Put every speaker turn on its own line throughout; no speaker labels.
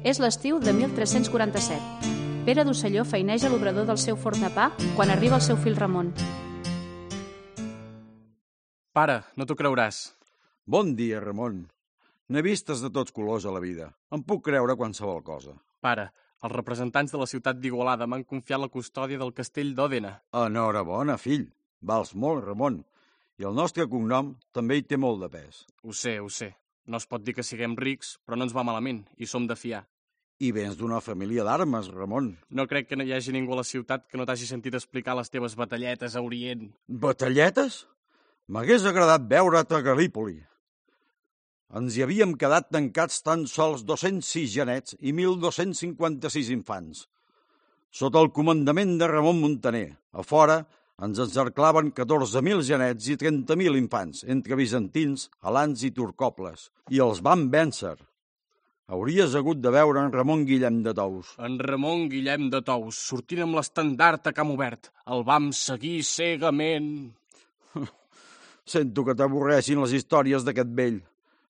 És l'estiu de 1347. Pere d'Osselló feineja l'obrador del seu forn de pa quan arriba el seu fill Ramon.
Pare, no t'ho creuràs.
Bon dia, Ramon. N'he vistes de tots colors a la vida. Em puc creure qualsevol cosa.
Pare, els representants de la ciutat d'Igualada m'han confiat la custòdia del castell d'Òdena.
Enhorabona, fill. Vals molt, Ramon. I el nostre cognom també hi té molt de pes.
Ho sé. No es pot dir que siguem rics, però no ens va malament, i som de fiar.
I vens d'una família d'armes, Ramon.
No crec que no hi hagi ningú a la ciutat que no t'hagi sentit explicar les teves batalletes a Orient.
Batalletes? M'hagués agradat veure't a Galípoli. Ens hi havíem quedat tancats tan sols 206 genets i 1.256 infants. Sota el comandament de Ramon Muntaner, a fora ens encerclaven 14.000 genets i 30.000 infants, entre bizantins, alans i turcoples, i els van vèncer. Hauries hagut de veure en Ramon Guillem de Tous.
En Ramon Guillem de Tous, sortint amb l'estendard a camp obert. El vam seguir cegament.
Sento que t'avorressin les històries d'aquest vell,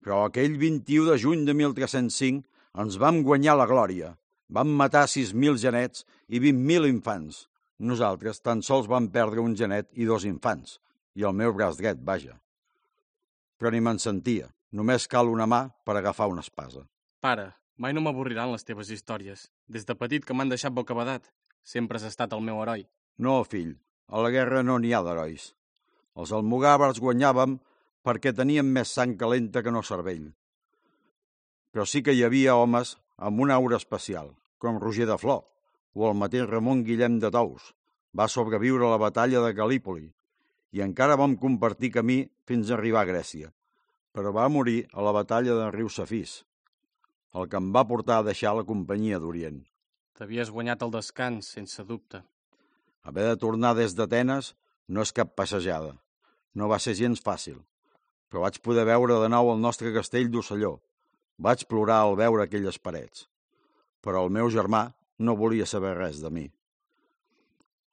però aquell 21 de juny de 1305 ens vam guanyar la glòria. Vam matar 6.000 genets i 20.000 infants. Nosaltres tan sols vam perdre un genet i 2 infants, i el meu braç dret, vaja. Però ni me'n sentia. Només cal una mà per agafar una espasa.
Pare, mai no m'avorriran les teves històries. Des de petit que m'han deixat bocabadat. Sempre has estat el meu heroi.
No, fill, a la guerra no n'hi ha d'herois. Els almogàvers guanyàvem perquè teníem més sang calenta que no cervell. Però sí que hi havia homes amb una aura especial, com Roger de Flor, o el mateix Ramon Guillem de Tous. Va sobreviure a la batalla de Galípoli i encara vam compartir camí fins a arribar a Grècia, però va morir a la batalla del riu Safís, el que em va portar a deixar la companyia d'Orient.
T'havies guanyat el descans, sense dubte.
Haver de tornar des d'Atenes no és cap passejada. No va ser gens fàcil, però vaig poder veure de nou el nostre castell d'Osselló. Vaig plorar al veure aquelles parets, però el meu germà no volia saber res de mi.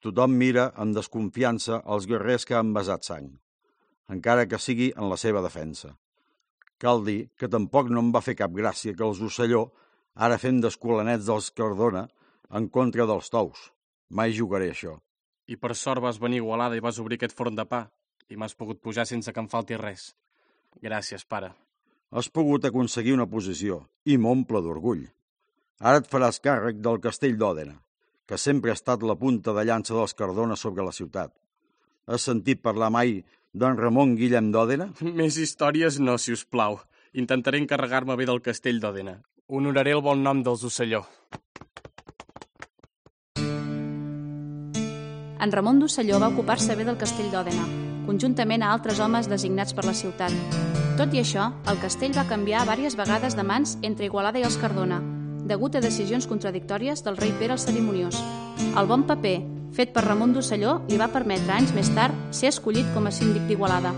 Tothom mira amb desconfiança els guerrers que han vessat sang, encara que sigui en la seva defensa. Cal dir que tampoc no em va fer cap gràcia que els Osselló ara fem d'escolanets dels Cardona en contra dels Tous. Mai jugaré això.
I per sort vas venir a Igualada i vas obrir aquest forn de pa, i m'has pogut pujar sense que em falti res. Gràcies, pare.
Has pogut aconseguir una posició i m'omple d'orgull. Ara et faràs càrrec del castell d'Òdena, que sempre ha estat la punta de llança dels Cardona sobre la ciutat. Has sentit parlar mai d'en Ramon Guillem d'Òdena?
Més històries no, si us plau. Intentaré encarregar-me bé del castell d'Òdena. Honoraré el bon nom dels Osselló.
En Ramon d'Osselló va ocupar-se bé del castell d'Òdena, conjuntament a altres homes designats per la ciutat. Tot i això, el castell va canviar diverses vegades de mans entre Igualada i els Cardona, degut a decisions contradictòries del rei Pere el Cerimoniós. El bon paper, fet per Ramon d'Osselló, li va permetre anys més tard ser escollit com a síndic d'Igualada.